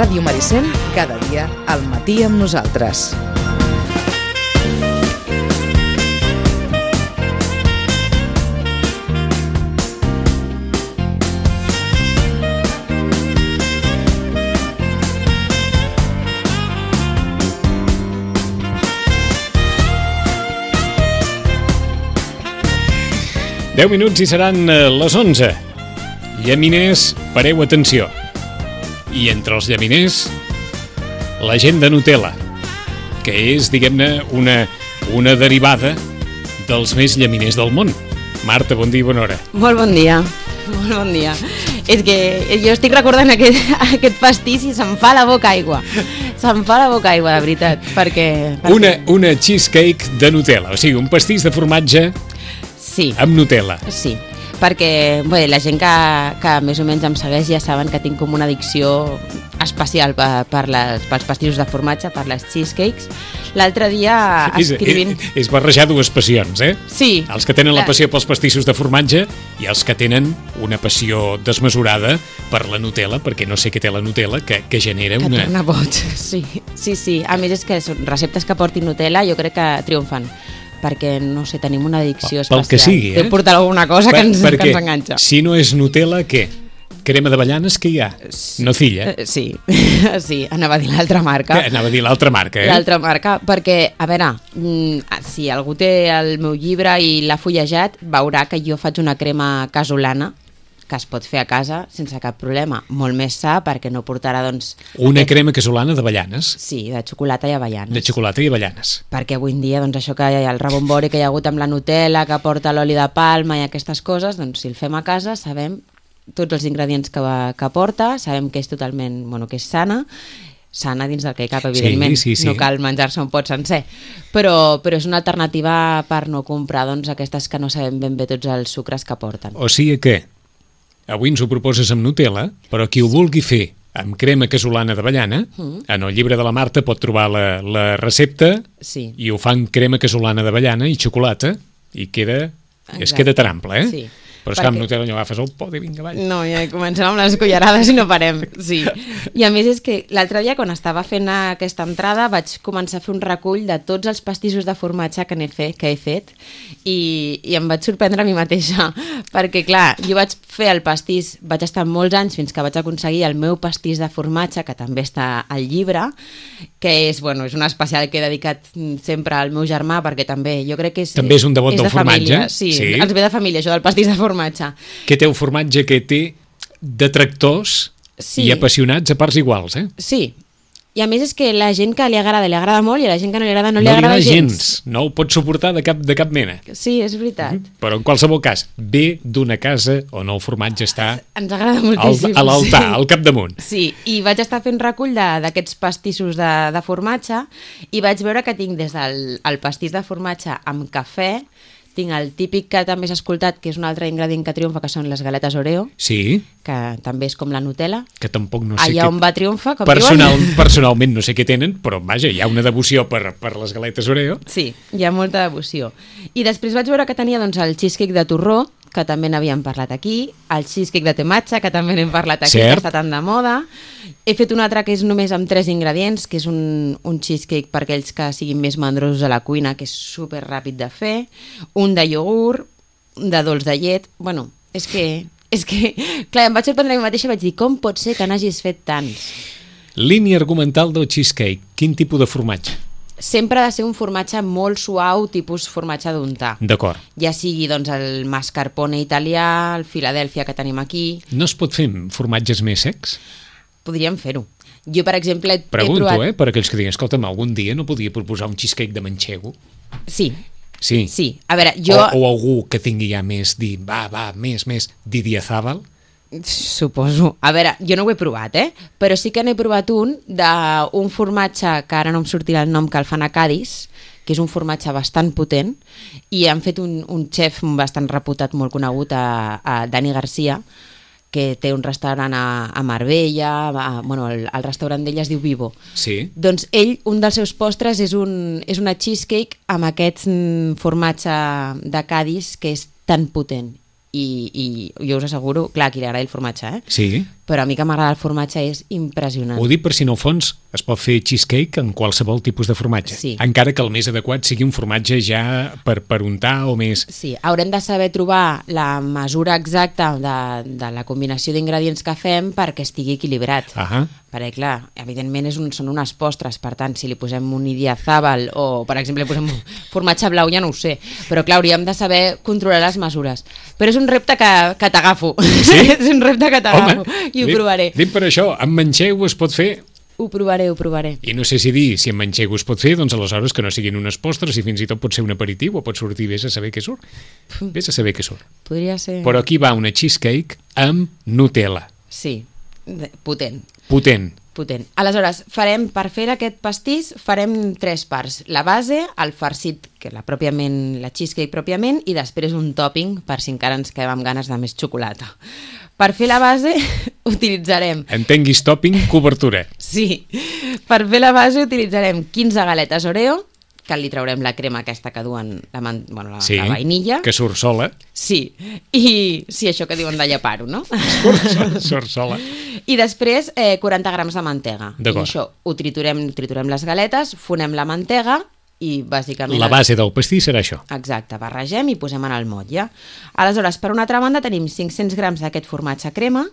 Ràdio Maricel, cada dia al matí amb nosaltres. Deu minuts i seran les 11. Llaminers, pareu atenció. I entre els llaminers, la gent de Nutella, que és, diguem-ne, una derivada dels més llaminers del món. Marta, bon dia i bona hora. Molt bon dia, molt bon dia. És que jo estic recordant aquest pastís i se'm fa la boca aigua. Se'm fa la boca aigua, de veritat, perquè... Una cheesecake de Nutella, o sigui, un pastís de formatge... Sí. Amb Nutella. Sí, perquè bé, la gent que més o menys em segueix ja saben que tinc com una addicció especial pels pastissos de formatge, per les cheesecakes. L'altre dia escrivint... És barrejar dues passions, eh? Sí. Els que tenen la passió pels pastissos de formatge i els que tenen una passió desmesurada per la Nutella, perquè no sé què té la Nutella, que genera una... Que torna boig, sí. A més és que són receptes que portin Nutella, jo crec que triomfen. Perquè, no sé, tenim una addicció especial. Pel que sigui, Deu portar alguna cosa que ens enganxa. Si no és Nutella, què? Crema d'avellanes que hi ha? Nocilla? Sí, anava a dir l'altra marca. Anava a dir l'altra marca, eh? L'altra marca, perquè, a veure, si algú té el meu llibre i l'ha fullejat, veurà que jo faig una crema casolana, que es pot fer a casa sense cap problema, molt més sa perquè no portarà, doncs... Una crema casolana d'avellanes? Sí, de xocolata i avellanes. De xocolata i avellanes. Perquè avui en dia, doncs això que hi ha el rebombori que hi ha hagut amb la Nutella, que porta l'oli de palma i aquestes coses, doncs si el fem a casa sabem tots els ingredients que porta, sabem que és totalment, que és sana dins del que hi cap, evidentment. Sí. No cal menjar-se un pot sencer. Però és una alternativa per no comprar, doncs, aquestes que no sabem ben bé tots els sucres que porten. O sigui que avui ens ho proposes amb Nutella, però qui ho vulgui fer amb crema casolana d'avellana, en el llibre de la Marta pot trobar la recepta i ho fa amb crema casolana d'avellana i xocolata i queda tan ample, eh? Sí. Però és que amb Nutella no agafes el pot i vinga avall. No, ja comencem amb les cullerades i no parem, sí. I a més és que l'altre dia quan estava fent aquesta entrada vaig començar a fer un recull de tots els pastissos de formatge que he fet i em vaig sorprendre a mi mateixa perquè clar, jo vaig fer el pastís, vaig estar molts anys fins que vaig aconseguir el meu pastís de formatge, que també està al llibre, que és un especial que he dedicat sempre al meu germà perquè també jo crec que també és un devot del formatge. Sí, ens ve de família això del pastís de formatge. Que té un formatge que té detractors i apassionats a parts iguals, eh? Sí, i a més és que la gent que li agrada molt i a la gent que no li agrada no li agrada gens. No ho pot suportar de cap mena. Sí, és veritat. Però en qualsevol cas, ve d'una casa on el formatge està ens agrada moltíssim, a l'altar, al capdamunt. Sí, i vaig estar fent recull d'aquests pastissos de formatge i vaig veure que tinc des del pastís de formatge amb cafè, tinc el típic que també has escoltat, que és un altre ingredient que triomfa, que són les galetes Oreo, sí, que també és com la Nutella. Que tampoc no sé allà on va triomfa, com personalment no sé què tenen, però vaja, hi ha una devoció per les galetes Oreo. Sí, hi ha molta devoció. I després vaig veure que tenia doncs, el cheesecake de torró, que també n'havíem parlat aquí, el cheesecake de tematge, que també n'hem parlat aquí, que està tan de moda. He fet un altre que és només amb 3 ingredients, que és un cheesecake per aquells que siguin més mandrosos a la cuina, que és super ràpid de fer, un de iogurt, de dolç de llet... És que clar, em vaig sorprendre a mi mateixa i vaig dir, com pot ser que n'hagis fet tants? Línia argumental del cheesecake, quin tipus de formatge? Sempre ha de ser un formatge molt suau, tipus formatge d'untar. D'acord. Ja sigui doncs, el mascarpone italià, el Filadèlfia que tenim aquí... No es pot fer formatges més secs? Podríem fer-ho. Jo, per exemple, Pregunto, per aquells que diguen, escolta'm, algun dia no podia proposar un cheesecake de manxego? Sí. Sí. A veure, jo... O algú que tingui ja més, més, Didiazábal? Suposo. A veure, jo no ho he provat, però sí que n'he provat un d'un formatge, que ara no em sortirà el nom, que el fan a Cadis, que és un formatge bastant potent, i han fet un xef bastant reputat, molt conegut, a Dani Garcia, que té un restaurant a Marbella, el restaurant d'ell es diu Vivo. Sí. Doncs ell, un dels seus postres és una cheesecake amb aquest formatge de Cadis que és tan potent. I jo us asseguro, clar, a qui li agrada el formatge, sí, però a mi que m'agrada el formatge és impressionant. Ho dic per si no ho fons, es pot fer cheesecake en qualsevol tipus de formatge, Sí. encara que el més adequat sigui un formatge ja per untar o més... Sí, haurem de saber trobar la mesura exacta de la combinació d'ingredients que fem perquè estigui equilibrat. Ahà. Perquè, clar, evidentment són unes postres, per tant, si li posem un idiazàbal o, per exemple, li posem un formatge blau, ja no ho sé. Però, clar, hauríem de saber controlar les mesures. Però és un repte que t'agafo. Sí? És un repte que t'agafo i ho provaré. Dic per això, amb manxego es pot fer... Ho provaré. I no sé si dir, si amb manxego es pot fer, doncs aleshores que no siguin unes postres i fins i tot pot ser un aperitiu o pot sortir, vés a saber què surt. Vés a saber què surt. Podria ser... Però aquí va una cheesecake amb Nutella. Sí, potent. Potent. Aleshores, per fer aquest pastís farem 3 parts. La base, el farcit, que la cheesecake pròpiament, i després un topping per si encara ens quedem amb ganes de més xocolata. Per fer la base utilitzarem... Entenguis topping, cobertura. Sí, per fer la base utilitzarem 15 galetes Oreo, que li traurem la crema aquesta que duen la vainilla. Que surt sola. Sí, i sí, això que diuen de llepar-ho, no? Surt sola. I després 40 grams de mantega. D'acord. I això ho triturem les galetes, fonem la mantega i bàsicament... La base del pastís serà això. Exacte, barregem i posem en el motlle. Aleshores, per una altra banda tenim 500 grams d'aquest formatge crema,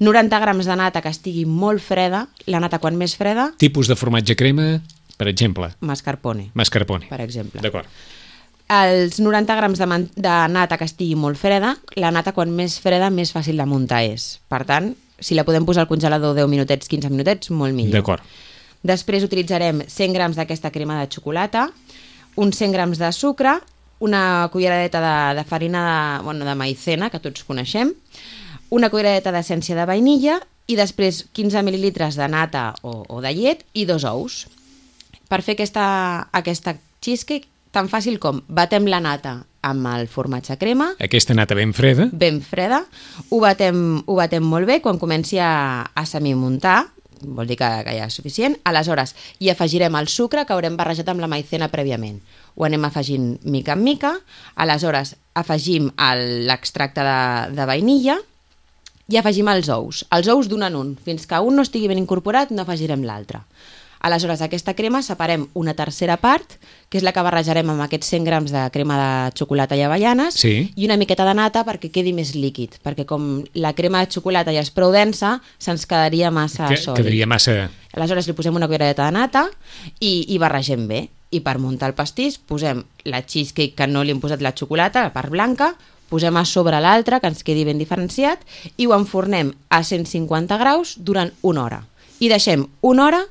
90 grams de nata que estigui molt freda, la nata quan més freda... Tipus de formatge crema, per exemple? Mascarpone. Per exemple. D'acord. Els 90 grams de nata que estigui molt freda, la nata quan més freda més fàcil de muntar és. Per tant, si la podem posar al congelador 10 minutets, 15 minutets, molt millor. D'acord. Després utilitzarem 100 grams d'aquesta crema de xocolata, uns 100 grams de sucre, una culleradeta de farina de maïzena, que tots coneixem, una culleradeta d'essència de vainilla i després 15 mil·lilitres de nata o de llet i 2 ous. Per fer aquesta cheesecake, tan fàcil com batem la nata amb el formatge crema. Aquesta nata ben freda. Ben freda. Ho batem molt bé. Quan comenci a semimuntar, vol dir que ja és suficient. Aleshores, hi afegirem el sucre que haurem barrejat amb la maïzena prèviament. Ho anem afegint mica en mica. Aleshores, afegim l'extracte de vainilla i afegim els ous. Els ous d'un en un. Fins que un no estigui ben incorporat, no afegirem l'altre. Aleshores, aquesta crema separem una tercera part, que és la que barrejarem amb aquests 100 grams de crema de xocolata i avellanes, sí, i una miqueta de nata perquè quedi més líquid, perquè com la crema de xocolata ja és prou densa, se'ns quedaria massa sòlid. Quedaria massa... Aleshores li posem una culleradeta de nata i barregem bé. I per muntar el pastís posem la cheesecake que no li hem posat la xocolata, la part blanca, posem a sobre l'altra, que ens quedi ben diferenciat, i ho enfornem a 150 graus durant 1 hora. I deixem 1 hora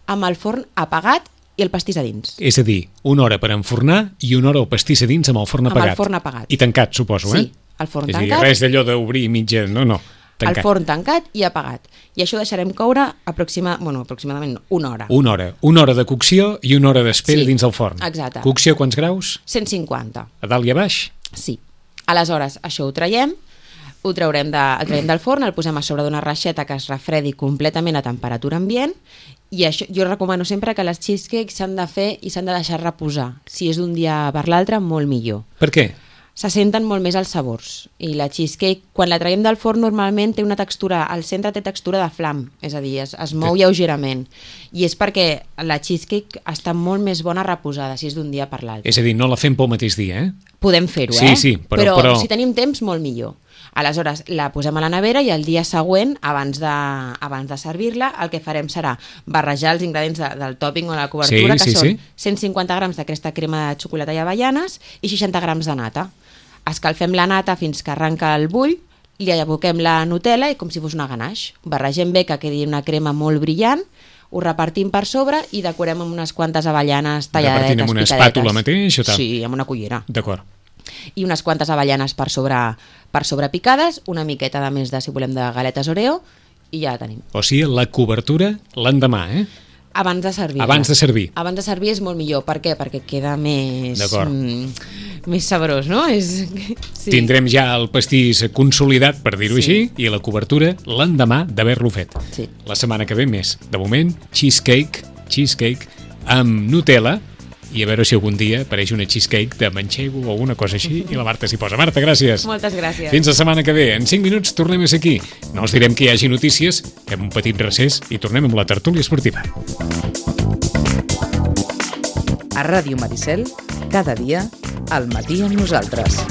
amb el forn apagat i el pastís a dins. És a dir, 1 hora per enfornar i 1 hora el pastís a dins amb el forn apagat. Amb el forn apagat. I tancat, suposo, Sí, el forn tancat. És a dir, res d'allò d'obrir mitja... No, tancat. El forn tancat i apagat. I això ho deixarem coure aproximadament 1 hora. 1 hora. 1 hora de cocció i 1 hora d'espera dins del forn. Exacte. Cocció quants graus? 150. A dalt i a baix? Sí. Aleshores, això ho traiem del forn, el posem a sobre d'una reixeta que es refredi completament a temperatura ambient, i això, jo recomano sempre que les cheesecakes s'han de fer i s'han de deixar reposar. Si és d'un dia per l'altre, molt millor. Per què? Se senten molt més els sabors. I la cheesecake, quan la traiem del forn, normalment té una textura, al centre té textura de flam, és a dir, es mou lleugerament. I és perquè la cheesecake està molt més bona reposada, si és d'un dia per l'altre. És a dir, no la fem pel mateix dia, eh? Podem fer-ho, Sí, però si tenim temps, molt millor. Aleshores, la posem a la nevera i el dia següent, abans de servir-la, el que farem serà barrejar els ingredients del topping o de la cobertura, que són 150 grams d'aquesta crema de xocolata i avellanes i 60 grams de nata. Escalfem la nata fins que arranca el bull, li aboquem la Nutella i com si fos una ganache. Barregem bé que quedi una crema molt brillant, ho repartim per sobre i decorem amb unes quantes avellanes talladetes, repartim amb una espàtula mateix o tal? Sí, amb una cullera. D'acord. I unes quantes avellanes per sobre picades, una miqueta de més de, si volem, de galetes Oreo i ja la tenim. O sigui, la cobertura l'endemà, eh? Abans de servir. Abans de servir. Abans de servir és molt millor. Per què? Perquè queda més saborós, no? Sí. Tindrem ja el pastís consolidat, per dir-ho així, i la cobertura l'endemà d'haver-lo fet. Sí. La setmana que ve més. De moment, cheesecake amb Nutella i a veure si algun dia apareix una cheesecake de manxego o alguna cosa així i la Marta s'hi posa. Marta, gràcies. Moltes gràcies. Fins la setmana que ve. En 5 minuts tornem a ser aquí. No us direm que hi hagi notícies, fem un petit recés i tornem amb la tertúlia esportiva. A Ràdio Maricel, cada dia, al matí amb nosaltres.